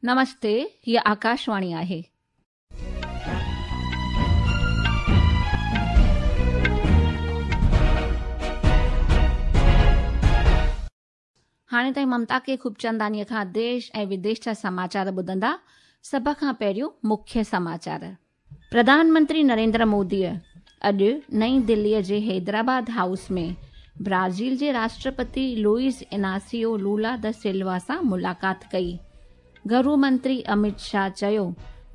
نمستي، هيء آڪاشواڻي آهي. هاڻي تائين ممتا ڪي خوبچندانيء کان ديش ۽ وديش جا سماچار ٻڌندا. سڀ کان پهريون مکيه سماچار. پرڌان منتري نريندر موديء اڄ نئين دليء جي حيدرآباد هائوس ۾ برازيل جي راشٽرپتي لوئيز اناسيو لولا دا سلوا سان ملاقات ڪئي. گهرو منتري امت شاهه چيو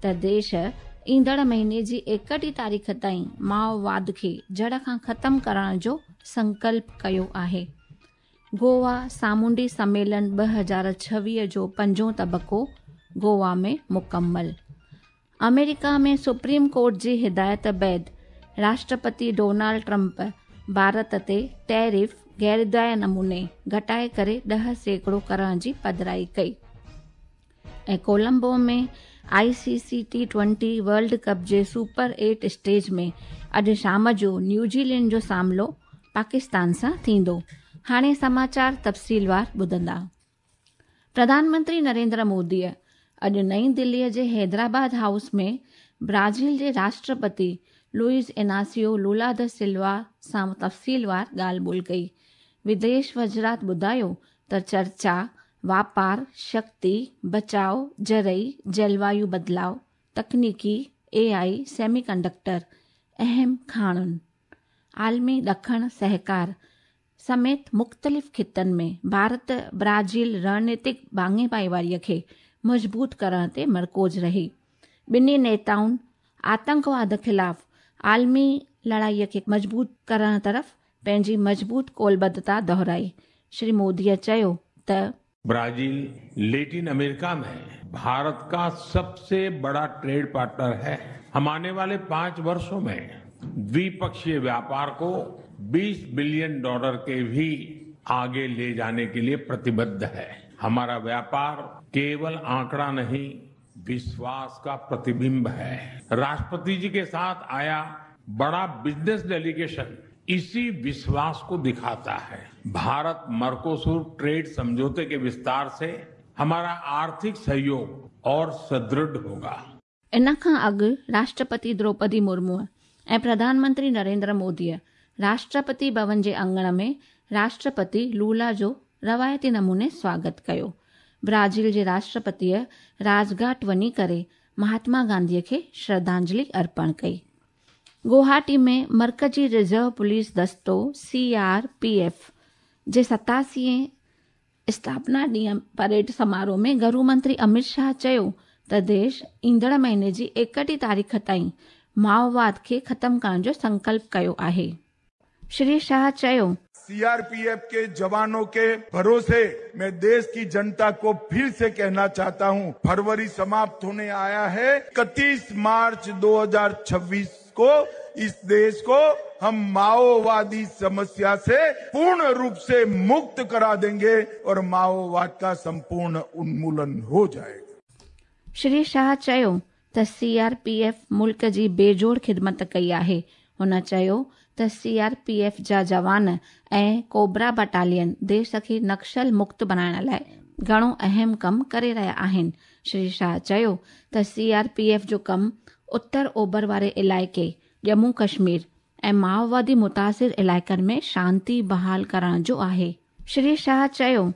ته ديش ايندڙ مهيني جي ايڪٽيهه تاريخ تائين مائوواد کي جڙ کان ختم ڪرڻ جو سنڪلپ ڪيو آهي. گووا سامونڊي سميلن 2026 جو پنجون طبقو گووا ۾ مڪمل. آمريڪا ۾ سپريم ڪورٽ جي هدايت بعد راشٽرپتي ڊونالڊ ٽرمپ ڀارت تي ٽيرف غيرداء نموني گهٽائي ڪري 10% ڪرڻ جي پڌرائي ڪئي. ۽ Colombo ۾ I C C T twenty world cup جي سپر ايٽ اسٽيج ۾ اڄ شام جو نيوزيلينڊ جو سامنو پاڪستان سان ٿيندو. هاڻي سماچار تفصيلوار ٻڌندا. پرڌان منتري نريندر موديء اڄ نئين دليء جي حيدرآباد هائوس ۾ برازيل جي راشٽرپتي لوئيز اناسيو لولا دا سلوا سان تفصيلوار ڳالهه ٻولهه ڪئي. وديش وزارت ٻڌايو ته چرچا واپار، شڪتي، بچاء، زرعي، جلوايو بدلاء، تڪنيڪي، اي آء، سيمي ڪنڊڪٽر، اهم کاڻن، عالمي ڏکڻ سهڪار سميت مختلف خطن ۾ ڀارت برازيل رڻنيتڪ ڀاڱي ڀائيواري کي مضبوط ڪرڻ تي مرڪوز رهي. ٻنهي نيتائن آتنڪواد خلاف عالمي لڙائي کي مضبوط ڪرڻ طرف پنهنجي مضبوط قولبڌتا دهرائي. شري موديء چيو ته. ब्राजील लेटिन अमेरिका में भारत का सबसे बड़ा ट्रेड पार्टनर है। हम आने वाले 5 वर्षों में द्विपक्षीय व्यापार को 20 बिलियन डॉलर के भी आगे ले जाने के लिए प्रतिबद्ध है। हमारा व्यापार केवल आंकड़ा नहीं, विश्वास का प्रतिबिंब है। राष्ट्रपति जी के साथ आया बड़ा बिजनेस डेलीगेशन इसी विश्वास को दिखाता है। भारत मर्कोसुर ट्रेड समझौते के विस्तार से हमारा आर्थिक सहयोग और सुदृढ़ होगा। इन खां अॻु राष्ट्रपति द्रौपदी मुर्मू ऐं प्रधानमंत्री नरेंद्र मोदीअ राष्ट्रपति भवन जे आङण में राष्ट्रपति लूला जो रवायती नमूने स्वागत कयो। ब्राज़ील जे राष्ट्रपतीअ राजघाट वञी करे महात्मा गांधीअ खे श्रद्धांजलि अर्पण कई। गुवाहाटी में मर्कजी रिज़र्व पुलिस दस्तो सी आर पी एफ जे 87 स्थापना ॾींहं परेड समारोह में गृह मंत्री अमित शाह चयो त देश ईंदड़ महीने जी 31 तारीख़ ताईं माओवाद खे ख़तम करण जो संकल्प कयो आहे। श्री शाह चयो, सीआरपीएफ के जवानों के भरोसे मैं देश की जनता को फिर से कहना चाहता हूं, फरवरी समाप्त होने आया है। 31 मार्च 2026 को इस देश को हम माओवादी समस्या से पूर्ण रूप से मुक्त करा देंगे और माओवाद का संपूर्ण उन्मूलन हो जाएगा। श्री शाह चयो त सीआरपीएफ मुल्क जी बेजोड़ ख़िदमत कई आहे। हुन चयो त सीआरपीएफ जा जवान ऐं कोबरा बटालियन देश खे नक्सल मुक्त बणाइण लाइ घणो अहम कमु करे रहिया आहिनि। श्री शाह चयो त सीआरपीएफ जो कमु उत्तर ओभर वारे इलाइक़े ॼम्मू कश्मीर ऐं माओवादी मुतासिर इलाइक़नि में शांति बहाल करण जो आहे। श्री शाह चयो,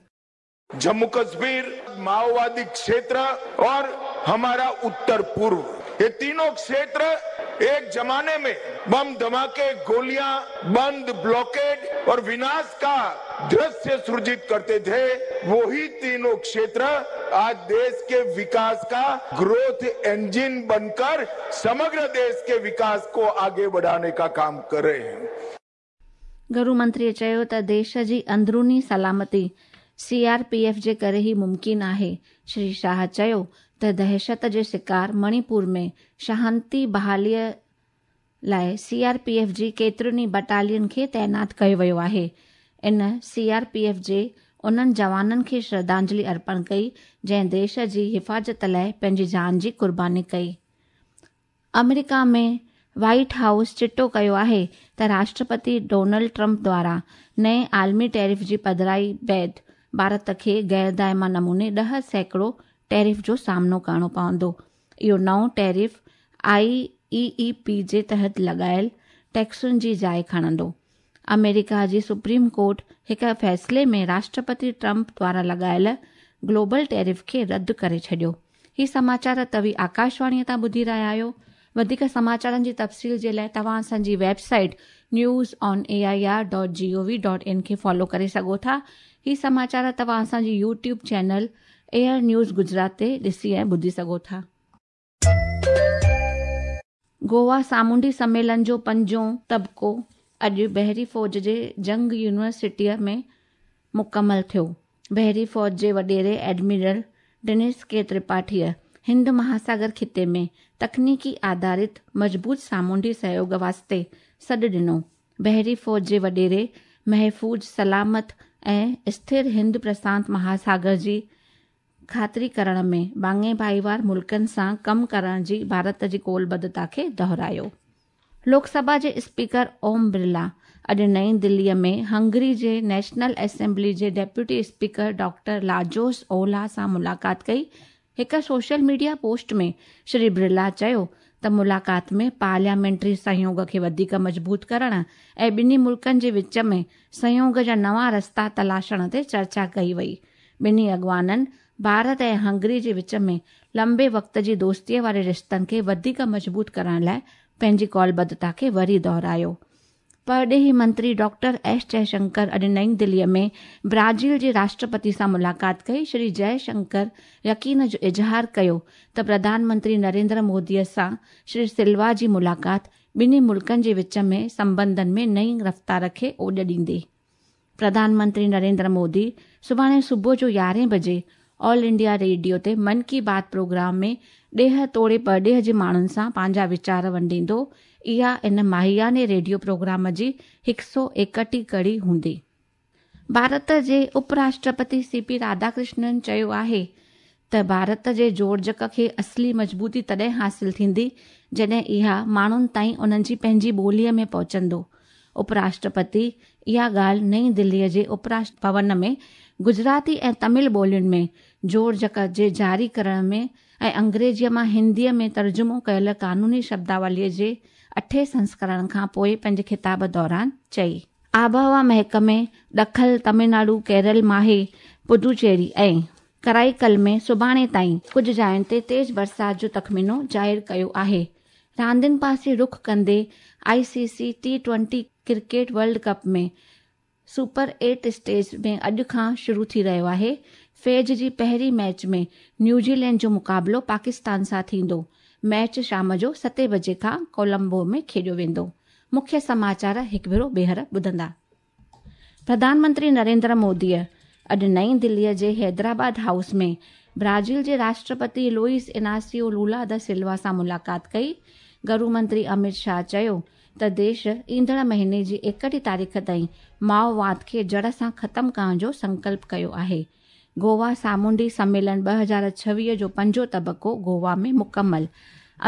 जम्मू कश्मीर माओवादी क्षेत्र और हमारा उत्तर पूर्व, ये तीनों क्षेत्र एक जमाने में बम धमाके, गोलियां, बंद, ब्लॉकेड और विनाश का दृश्य सृजित करते थे। वही तीनों क्षेत्र आज देश के विकास का ग्रोथ इंजन बनकर समग्र देश के विकास को आगे बढ़ाने का काम कर रहे हैं। गृह मंत्रीअ चयो त देश जी अंदरूनी सलामती सीआरपीएफ जे करे ई मुमकिन आहे। श्री शाह चयो त दहशत जे शिकार मणिपुर में शांति बहालीअ लाइ सीआरपीएफ जी केतिरनि ई बटालियन खे तैनात कयो वियो आहे। इन सीआरपीएफ जे उन्हनि जवाननि खे श्रद्धांजलि अर्पण कई जंहिं देश जी हिफ़ाज़त लाइ पंहिंजी जान जी क़ुर्बानी कई। अमेरिका में व्हाइट हाउस चिटो कयो आहे त राष्ट्रपति डोनाल्ड ट्रंप द्वारा नए आलमी टैरिफ जी पधराई बाद भारत खे गैर दायमा नमूने 10% ٽيرف جو سامنو ڪرڻو پوندو. اهو نئون tariff I A A P جي تحت لڳايل ٽيڪسن جي جاءِ کڻندو. آمريڪا جي سپريم ڪورٽ هڪ فيصلي ۾ راشٽرپتي ٽرمپ دوارا لڳايل گلوبل ٽيرف کي رد ڪري ڇڏيو. هي سماچار توهين آڪاشواڻيء تان ٻڌي رهيا آهيو. وڌيڪ سماچارن جي تفصيل جي لاءِ توهان اسان جي website news on A I R dot G O V dot in کي فالو ڪري سگهو ٿا. هي سماچار توهان اسان جي YouTube channel AIR news Gujarat تي ڏسي ۽ ٻڌي سگهو ٿا. گوا سامونڊي سميلن جو پنجون طبقو اڄ بحري فوج جي جنگ يونيورسٽيء ۾ مڪمل ٿيو. بحري فوج جي وڏيري ايڊمرل ڊنيس ڪي ترپاٺيء هند مهاساگر خطي ۾ تڪنيڪي آڌارت مضبوط سامونڊي سهيوڳ واسطي سڏ ڏنو. بحري فوج جي وڏيري محفوظ، سلامت ۽ اسٿر هند پرشانت مهاساگر جي خاطري ڪرڻ ۾ ڀاڱي ڀائيوار ملڪن سان ڪم ڪرڻ جي ڀارت جي قولبڌتا کي دهرايو. لوڪ سڀا جي اسپيڪر اوم برلا اڄ نئين دليء ۾ هنگري جي نيشنل اسيمبلي جي deputy speaker doctor Lajos Olah سان ملاقات ڪئي. هڪ social media post ۾ Shri Birla چيو ته ملاقات ۾ پارليامينٽري سهيوڳ کي وڌيڪ مضبوط ڪرڻ ۽ ٻنهي ملڪن جي وچ ۾ سهيوڳ جا نوان رستا تلاشڻ تي چرچا ڪئي وئي. ٻنهي اڳواڻن ڀارت ۽ هنگري جي وچ ۾ لمبي وقت جي دوستيء واري رشتن کي وڌيڪ مضبوط ڪرڻ لاءِ پنهنجي قولبڌتا کي وري دهرايو. پرڏيهي منتري ڊاڪٽر ايس جئشنڪر اڄ نئين دليء ۾ برازيل جي راشٽرپتي سان ملاقات ڪئي. شري جئشنڪر يقين جو اظهار ڪيو ته پرڌان منتري نريندر موديء سان شري سلوا جي ملاقات ٻنهي ملڪن جي وچ ۾ سنٻنڌن ۾ نئين رفتار کي اوڄ ڏيندي. پرڌان منتري نريندر مودي سڀاڻي صبح جو يارهين بجي آل انڊيا ريڊيو تي من ڪي بات پروگرام ۾ ڏيهه توڙي پرڏيهه جي ماڻهن سان پنهنجا ويچار ونڊيندو. اها ان ماهياني ريڊيو پروگرام جي هڪ سؤ ايڪٽيهه ڪڙي هوندي. ڀارت جي اپ راشٽرپتي سي پي راڌاڪرشنن چيو آهي ته ڀارت جي جوڙجڪ کي اصلي مضبوطي تڏهن حاصل ٿيندي جڏهن اها ماڻهن تائين انهن جي پنهنجي ٻوليء ۾ پهچندو. اپ راشٽرپتي اها ڳالهه نئين دليء جي اپ راشٽر ڀون ۾ گجراتي ۽ تامل ٻولين ۾ جوڙجڪ جي جاري ڪرڻ ۾ ۽ انگريزيء مان هنديء ۾ ترجمو ڪيل قانوني شبداوليء جي اٺين سنسڪرڻ کان پوءِ پنهنجي خطاب دوران چئي. آبهوا محڪمي ڏکڻ تامل ناڊو، ڪيرل، ماهي، پڊوچيري ۽ ڪرائيڪل ۾ سڀاڻي تائين ڪجهه جاين تي تيز برسات جو تخمينو ظاهر ڪيو آهي. راندين پاسي رخ ڪندي I C C T twenty cricket world cup ۾ super eight stage ۾ اڄ کان شروع ٿي رهيو آهي. فيز جي پهرين ميچ ۾ نيوزيلينڊ جو مقابلو پاڪستان سان ٿيندو. ميچ شام جو ستين بجي کان ڪولمبو ۾ کيڏيو ويندو. مکيه سماچار هڪ ڀيرو ٻيهر ٻڌندا. پرڌان منتري نريندر موديء اڄ نئين دليء جي حيدرآباد هائوس ۾ برازيل جي راشٽرپتي لوئيس اناسيو لولا دا سلوا سان ملاقات ڪئي. گهرو منتري امت شاهه چيو ته ديش ايندڙ مهيني جي ايڪٽيهه تاريخ تائين مائوواد کي جڙ سان ختم ڪرڻ جو سنڪلپ ڪيو آهي. گوا سامونڊي سميلن 2026 جو پنجون طبقو گوا ۾ مڪمل.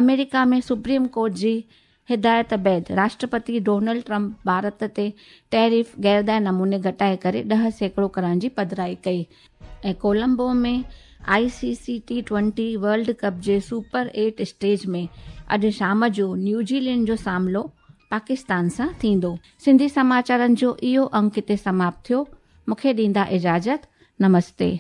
آمريڪا ۾ سپريم ڪورٽ جي هدايت بعد راشٽرپتي ڊونلڊ ٽرمپ ڀارت تي ٽيرف غيردائي نموني گهٽائي ڪري 10% ڪرڻ جي پڌرائي ڪئي. ۽ Colombo ۾ I C C T twenty world cup جي سپر ايٽ اسٽيج ۾ اڄ شام جو نيوزيلينڊ جو سامنو پاڪستان سان ٿيندو. سنڌي سماچارن جو اهو انڪ هتي سماپت ٿيو. مون کي ڏيندا اجازت. نمستي.